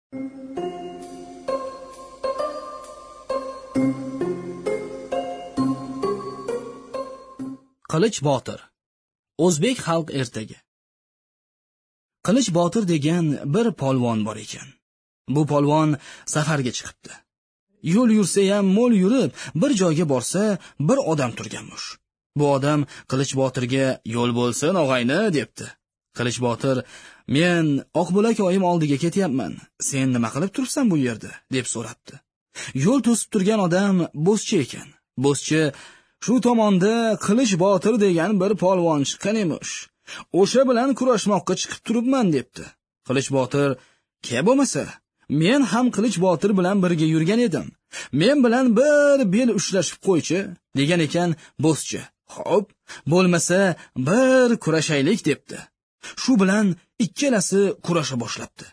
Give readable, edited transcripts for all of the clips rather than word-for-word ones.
Qilich Botir. O'zbek xalq ertagi. Qilich Botir degan bir polvon bor ekan. Bu polvon safarga chiqibdi. Yo'l yursa ham mo'l yurib, bir joyga borsa, bir odam turganmish. Bu odam Qilich Botirga "Yo'l bo'lsin, og'ayni" debdi. Qilich Botir: "Men Oqbulak oyim oldiga ketyapman. Sen nima qilib turibsan bu yerda?" deb so'rabdi. Yo'l to'sib turgan odam bo'zchi ekan. Bo'zchi: "Shu tomonda Qilich Botir degan bir polvon chiqqan emish. O'sha bilan kurashmoqqa chiqib turibman" debdi. Qilich Botir: "Ke bo'lmasa, men ham Qilich Botir bilan birga yurgan edim. Men bilan bir bel ushlashib qo'ychi" degan ekan bo'zchi. "Xo'p, bo'lmasa bir kurashaylik" debdi. Shu bilan ikkalasi kurasha boshlabdi.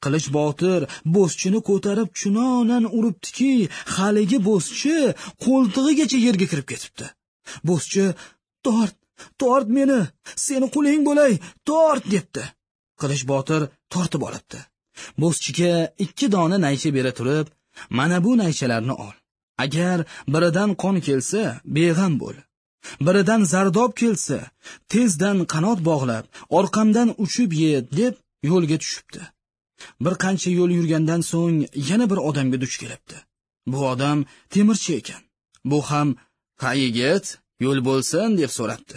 Qilich Botir bo'zchini ko'tarib chunonan uribdiki, haligi bo'zchi qo'ltig'igacha yerga kirib ketibdi. Bo'zchi: "Tort, tort meni, seni quling bo'lay, tort" debdi. Qilich Botir tortib olibdi. Bo'zchiga 2 dona naycha bera turib, "Mana bu naychalarni ol. Agar biridan qon kelsa, beg'am bo'l. Biridan zardob kelsa, tezdan qanot bog'lab, orqamdan uchib yet" deb yo'lga tushibdi. Bir qancha yo'l yurgandan so'ng yana bir odamga duch kelibdi. Bu odam temirchi ekan. Bu ham: "Ha yigit, yo'l bo'lsin" deb so'rabdi.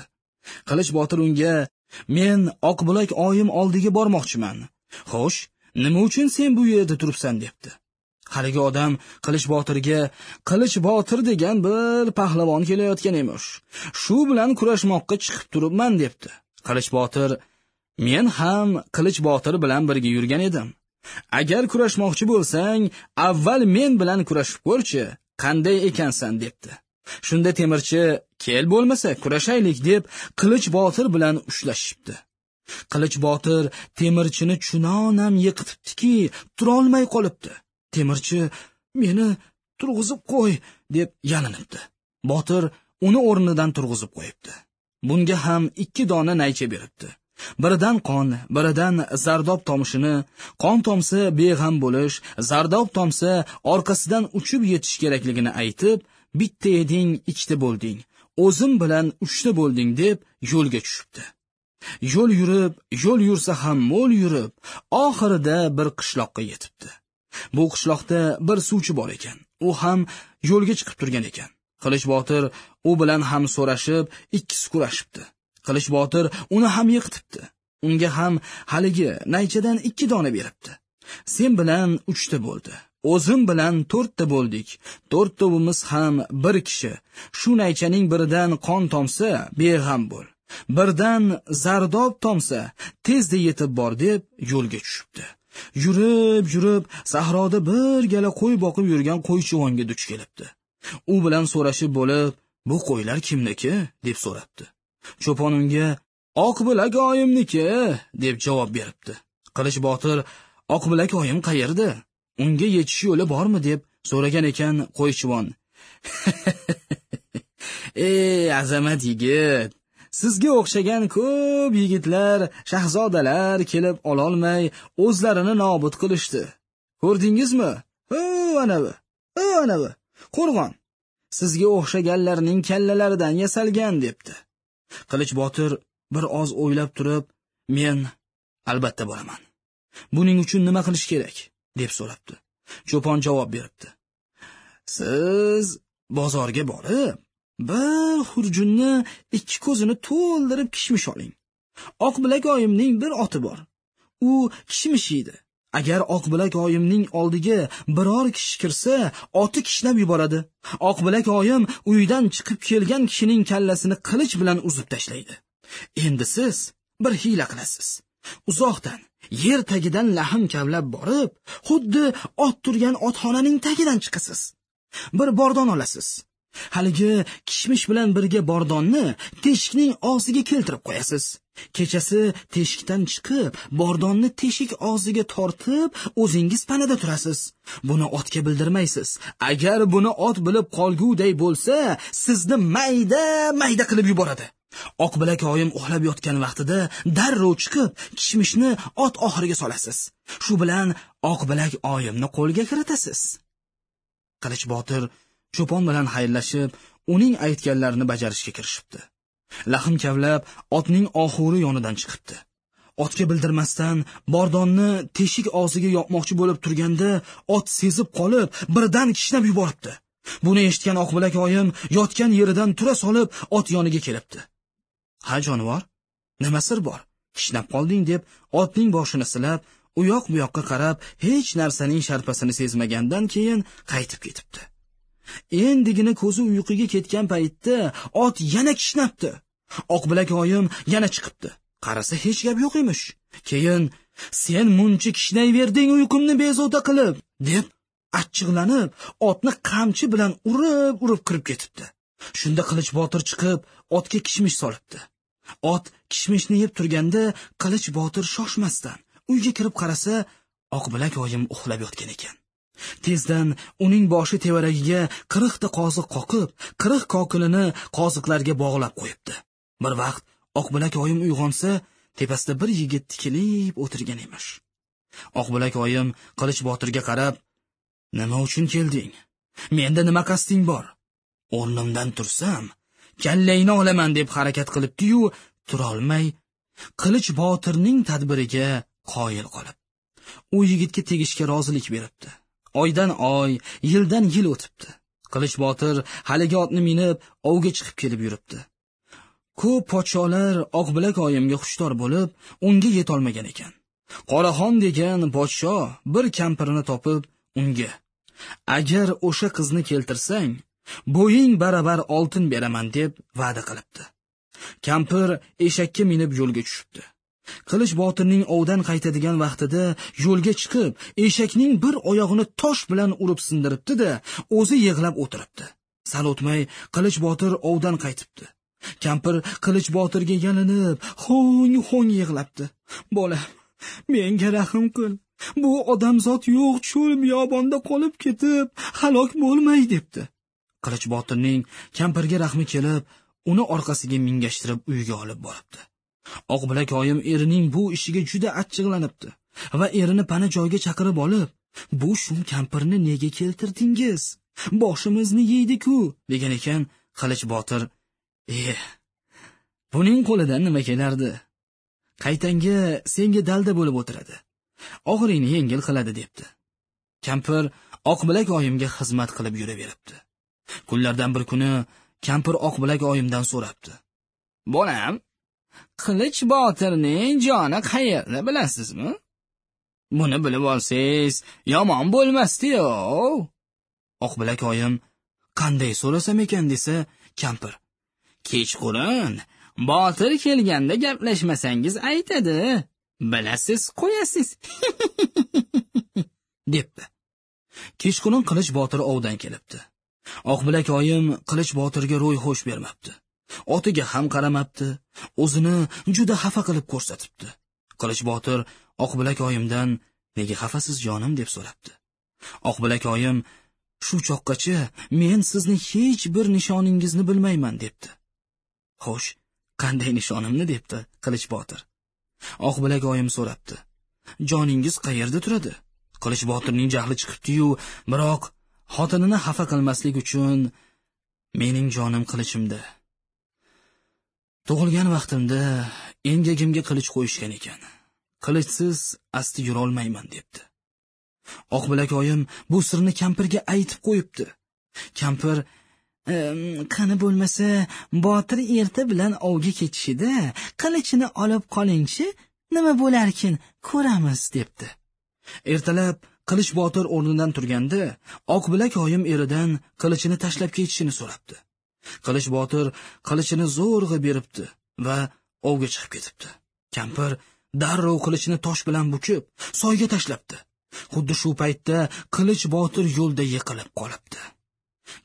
Qilich Botir unga: "Men Oqbulak oyim oldiga bormoqchiman. Xo'sh, nima uchun sen bu yerda turibsan?" debdi. Haligi odam Qilich Botirga: "Qilich Botir degan bir pahlavon kelayotgan emish. Shu bilan kurashmoqqa chiqib turibman" debdi. Qilich Botir: "Men ham Qilich Botir bilan birga yurgan edim. Agar kurashmoqchi bo'lsang, avval men bilan kurashib ko'rchi, qanday ekansan" debdi. Shunda temirchi: "Kel bo'lmasa kurashaylik" deb Qilich Botir bilan ushlashibdi. Qilich Botir temirchini chunonam yiqitibdiki, turolmay qolibdi. Temirchi: "Meni turg'izib qo'y" deb yalinibdi. Botir uni o'rnidan turg'izib qo'yibdi. Bunga ham 2 dona naycha beribdi. Biridan qon, biridan zardob tomishini, qon tomsa beg'am bo'lish, zardob tomsa orqasidan uchib yetish kerakligini aytib, "Bitta eding, ikkita bo'lding, o'zim bilan 3ta bo'lding" deb yo'lga tushibdi. Yo'l yurib, yo'l yursa ham mo'l yurib, oxirida bir qishloqqa yetibdi. Bu qishloqda bir suvchi bor ekan. U ham yo'lga chiqib turgan ekan. Qilich Botir u bilan ham so'rashib, ikkisi kurashibdi. Qilich Botir uni ham yiqitibdi. Unga ham haligi naychadan 2 dona beribdi. "Sen bilan 3ta bo'ldi. O'zim bilan 4ta bo'ldik. To'rtovimiz ham bir kishi. Shu naychaning biridan qon tomsa, beg'am bo'l. Birdan zardob tomsa, tezda yetib bor" deb yo'lga tushibdi. Yurib, yurib sahroda bir gala qo'y boqib yurgan qo'ychivonga duch kelibdi. U bilan so'rashib bo'lib, "Bu qo'ylar kimniki?" deb so'rabdi. Cho'pon unga: "Oqbilak oyimniki" deb javob beribdi. Qilich Botir: "Oqbilak oyim qayerda? Unga yetish yo'li bormi?" deb so'ragan ekan qo'ychivon. "Ey azamat yigit, sizga o'xshagan ko'p yigitlar, shahzodalar kelib ololmay o'zlarini nobud qilishdi. Ko'rdingizmi? Hu anavi, hu anavi qo'rg'on sizga o'xshaganlarning kallalaridan yasalgan" debdi. Qilich Botir bir oz o'ylab turib, "Men albatta boraman. Buning uchun nima qilish kerak?" deb so'rabdi. Cho'pon javob beribdi: "Siz bozorga borib, bir xurjunni 2 ko'zini to'ldirib kishmish oling. Oqbilak oyimning bir oti bor. U kishmish yeydi. Agar Oqbilak oyimning oldiga biror kishi kirsa, oti kishnab yuboradi. Oqbilak oyim uydan chiqib kelgan kishining kallasini qilich bilan uzib tashlaydi. Endi siz bir hiyla qilasiz. Uzoqdan, yer tagidan lahm kavlab borib, xuddi ot turgan otxonaning tagidan chiqasiz. Bir bordon olasiz. Haligi kishmish bilan birga bordonni teshikning og'ziga keltirib qo'yasiz. Kechasi teshikdan chiqib, bordonni teshik og'ziga tortib, o'zingiz panada turasiz. Buni otga bildirmaysiz. Agar buni ot bilib qolguday bo'lsa, sizni mayda-mayda qilib yuboradi. Oqbilak oyim uxlab yotgan vaqtida darrov chiqib, kishmishni ot oxiriga solasiz. Shu bilan Oqbilak oyimni qo'lga kiritasiz. Qilich Botir cho'pon bilan xayrlashib, uning aytganlarini bajarishga kirishibdi. Lahm kavlab otning oxuri yonidan chiqibdi. Otga bildirmasdan bordonni teshik og'ziga yopmoqchi bo'lib turganda ot sezib qolib, birdan kishnab yuboribdi. Buni eshitgan Oqbilak oyim yotgan yeridan tura solib ot yoniga kelibdi. "Ha jonivor, nima sir bor? Kishnab qolding" deb otning boshini silab, u yoq bu yoqqa qarab, hech narsaning sharpasini sezmagandan keyin qaytib ketibdi. Endigina ko'zi uyquga ketgan paytda ot yana kishnabdi. Oqbilak oyim yana chiqibdi. Qarasa hech gap yo'q emish. Keyin "Sen muncha kishnayverding uyqumni bezovta qilib" deb achchiqlanib, otni qamchi bilan urib-urib kirib ketibdi. Shunda Qilich Botir chiqib, otga kishmish solibdi. Ot kishmishni yeb turganda Qilich Botir shoshmasdan uyga kirib qarasa, Oqbilak oyim uxlab yotgan ekan. Tezdan uning boshi tevaragiga 40 ta qoziq qoqib, 40 kokilini qoziqlarga bog'lab qo'yibdi. Bir vaqt Oqbilak oyim uyg'onsa, tepasida bir yigit tikilib o'tirgan emish. Oqbilak oyim Qilich Botirga qarab, "Nima uchun kelding? Menda nima qasding bor? O'rnimdan tursam, kallangni olaman" deb harakat qilibdi-yu, turolmay Qilich Botirning tadbiriga qoyil qolib, u yigitga tegishga rozilik beribdi. Oydan oy, yildan yil o'tibdi. Qilich Botir haligi otni minib, ovga chiqib kelib yuribdi. Ko'p podsholar Oqbilak oyimga xushtor bo'lib, unga yetolmagan ekan. Qoraxon degan podsho bir kampirini topib, unga: "Agar o'sha qizni keltirsang, bo'ying baravar oltin beraman" deb va'da qilibdi. Kampir eshakka minib yo'lga tushibdi. Qilich Botirning ovdan qaytadigan vaqtida yo'lga chiqib, eshakning bir oyog'ini tosh bilan urib sindiribdi-da, o'zi yig'lab o'tiribdi. Sal o'tmay Qilich Botir ovdan qaytibdi. Kampir Qilich Botirga yalinib, ho'ng-ho'ng yig'labdi. "Bolam, menga rahm qil. Bu odamzod yo'q cho'l biyobonda qolib ketib, halok bo'lmay" debdi. Qilich Botirning kampirga rahmi kelib, uni orqasiga mingashtirib uyga olib boribdi. Oqbilak oyim erining bu ishiga juda achchiqlanibdi va erini pana joyga chaqirib olib, "Bu shum kampirni nega keltirdingiz? Boshimizni yeydi-ku" degan ekan. Qilich Botir: "Buning qo'lidan nima kelardi? Qaytanga senga dalda bo'lib o'tiradi. Og'iringni yengil qiladi" debdi. Kampir Oqbilak oyimga xizmat qilib yuraveribdi. Kunlardan bir kuni kampir Oqbilak oyimdan so'rabdi: "Bolam, Qilich Botirning joni qayerda bilasizmi? Buni bilib olsangiz, yomon bo'lmasdi-yu." Oqbilak oyim qanday so'rasam ekan desa, kampir: "Kechqurun Botir kelganda gaplashmasangiz aytadi, bilasiz qo'yasiz" debdi. Kechqurun Qilich Botir ovdan kelibdi. Oqbilak oyim Qilich Botirga ro'y xo'sh bermabdi. Otiga ham qaramabdi, o'zini juda xafa qilib ko'rsatibdi. Qilich Botir Oqbilak oyimdan "Nega xafasiz jonim?" deb so'rabdi. Oqbilak oyim: "Shu choqqacha men sizni hech bir nishoningizni bilmayman" debdi. "Xo'sh, qanday nishonimni?" debdi Qilich Botir. Oqbilak oyim so'rabdi: "Joningiz qayerda turadi?" Qilich Botirning jahli chiqibdi-yu, biroq xotinini xafa qilmaslik uchun: "Mening jonim qilichimda. Tug'ilgan vaqtimda engagimga qilich qo'yishgan ekan. Qilichsiz asti yurolmayman" debdi. Oqbilak oyim bu sirni kampirga aytib qo'yibdi. Kampir: "Qani bo'lmasa, Botir erta bilan ovga ketishida qilichini olib qolingchi, nima bo'larkin ko'ramiz" debdi. Ertalab Qilich Botir o'rnidan turganda Oqbilak oyim eridan qilichini tashlab ketishini so'rabdi. Qilich Botir qilichini zo'rg'a beribdi va ovga chiqib ketibdi. Kampir darrov qilichini tosh bilan bukib, soyga tashlabdi. Xuddi shu paytda Qilich Botir yo'lda yiqilib qolibdi.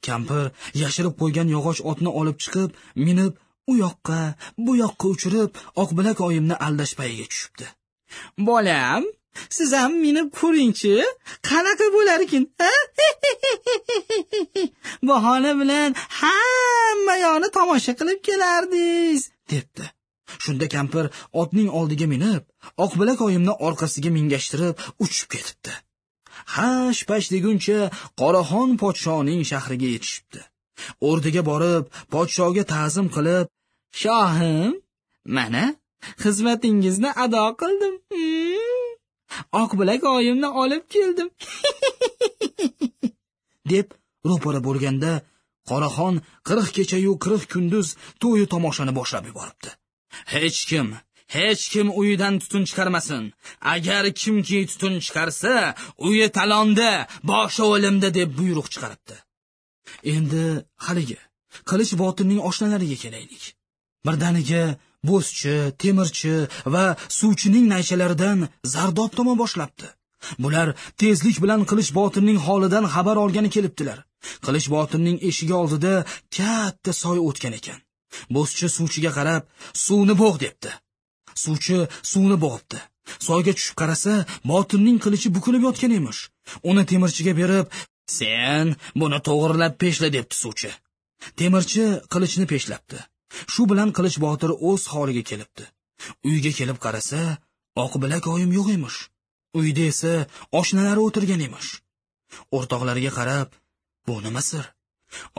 Kampir yashirib qo'ygan yog'och otni olib chiqib, minib u yoqqa, bu yoqqa uchirib, Oqbilak oyimni aldash payiga tushibdi. "Bolam, siz ham minib ko'ringchi, qanaqa bo'larkin, ha? Bahona bilan hamma yoqni tomosha qilib kelardingiz" debdi. Shunda kampir otning oldiga minib, Oqbilak oyimni orqasiga mingashtirib uchib ketibdi. Hash pash deguncha Qoraxon podshoning shahriga yetishibdi. O'rdiga borib, podshoga ta'zim qilib, "Shohim, mana xizmatingizni ado qildim. Oqbilak oyimni olib keldim." deb ro'para bo'lganda Qoraxon 40 kecha-yu 40 kunduz to'yu tomoshani boshlab yuboribdi. Hech kim uyidan tutun chiqarmasin. Agar kimki tutun chiqarsa, uyi talonda, boshi o'limda deb buyruq chiqaribdi. Endi haligi Qilich botirning oshnalariga kelaylik. Birdaniga bo'zchi, temirchi va suvchining naychalaridan zardob toma boshlabdi. Bular tezlik bilan Qilich botirning holidan xabar olgani kelibdilar. Qilich botirning eshigi oldida katta soy o'tgan ekan. Bo'zchi suvchiga qarab, "Suvni bo'g'" debdi. Suvchi suvni bo'g'ibdi. Soyga tushib qarasa, botirning qilichi bukilib yotgan emish. Uni temirchiga berib, "Sen buni to'g'rilab peshla" debdi suvchi. Temirchi qilichni peshlabdi. Shu bilan Qilich botir o'z holiga kelibdi. Uyga kelib qarasa, Oqbilak oyim yo'q emish. Uyda esa oshnalari o'tirgan emish. O'rtoqlariga qarab, "Bu nima sir?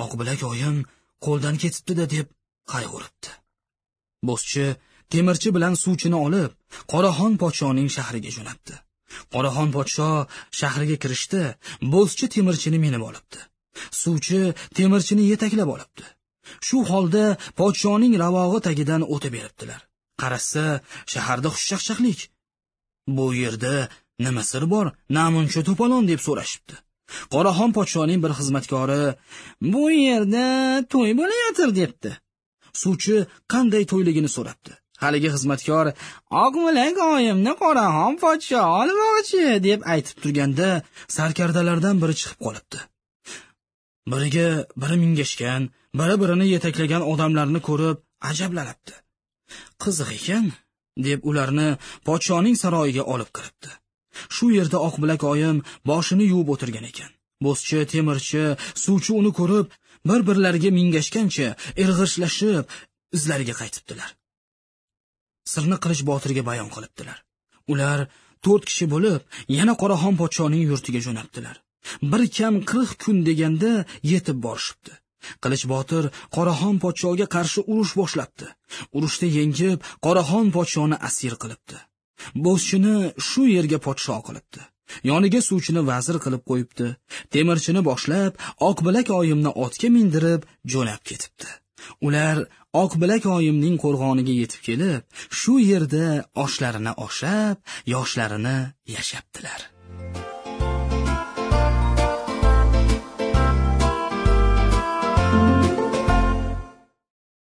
Oqbilak oyim qo'ldan ketibdi-da" deb qayg'uribdi. Bo'zchi temirchi bilan suvchini olib, Qoraxon podshoning shahriga jo'natdi. Qoraxon podsho shahriga kirishdi, bo'zchi temirchini minib olibdi. Suvchi temirchini yetaklab olibdi. Shu holda podshoning ravog'i tagidan o'tib beribdilar. Qarasa, shaharda xushchaqchaqlik. Bu yerda nima sir bor, namuncha to'polon deb so'rashibdi. Qoraxon podshoning bir xizmatkori, "Bu yerda to'y bo'layotir" debdi. Suvchi qanday to'yligini so'rabdi. Haligi xizmatkor, "Oqbilak oyimni Qoraxon podsho olmoqchi" deb aytib turganda sarkardalardan biri chiqib qolibdi. Biriga biri mingashgan, biri-birini yetaklagan odamlarni ko'rib ajablanibdi. Qiziq ekan, deb ularni podshoning saroyiga olib kiribdi. Shu yerda Oqbilak oyim boshini yuvib o'tirgan ekan. Bo'zchi, temirchi, suvchi uni ko'rib, bir-birlariga mingashgancha irg'ishlashib izlariga qaytibdilar. Sirni Qilich botirga bayon qilibdilar. Ular 4 kishi bo'lib, yana Qoraxon podshoning yurtiga jo'nabdilar. Bir kam 40 kun deganda yetib borishibdi. Qilich botir Qoraxon podshoga qarshi urush boshlabdi. Urushda yengib, Qoraxon podshoni asir qilibdi. Bo'zchini shu yerga podsho qilibdi. Yoniga suvchini vazir qilib qo'yibdi. Temirchini boshlab, Oqbilak oyimni otga mindirib jo'nab ketibdi. Ular Oqbilak oyimning qo'rg'oniga yetib kelib, shu yerda oshlarini oshab, yoshlarini yashabdilar.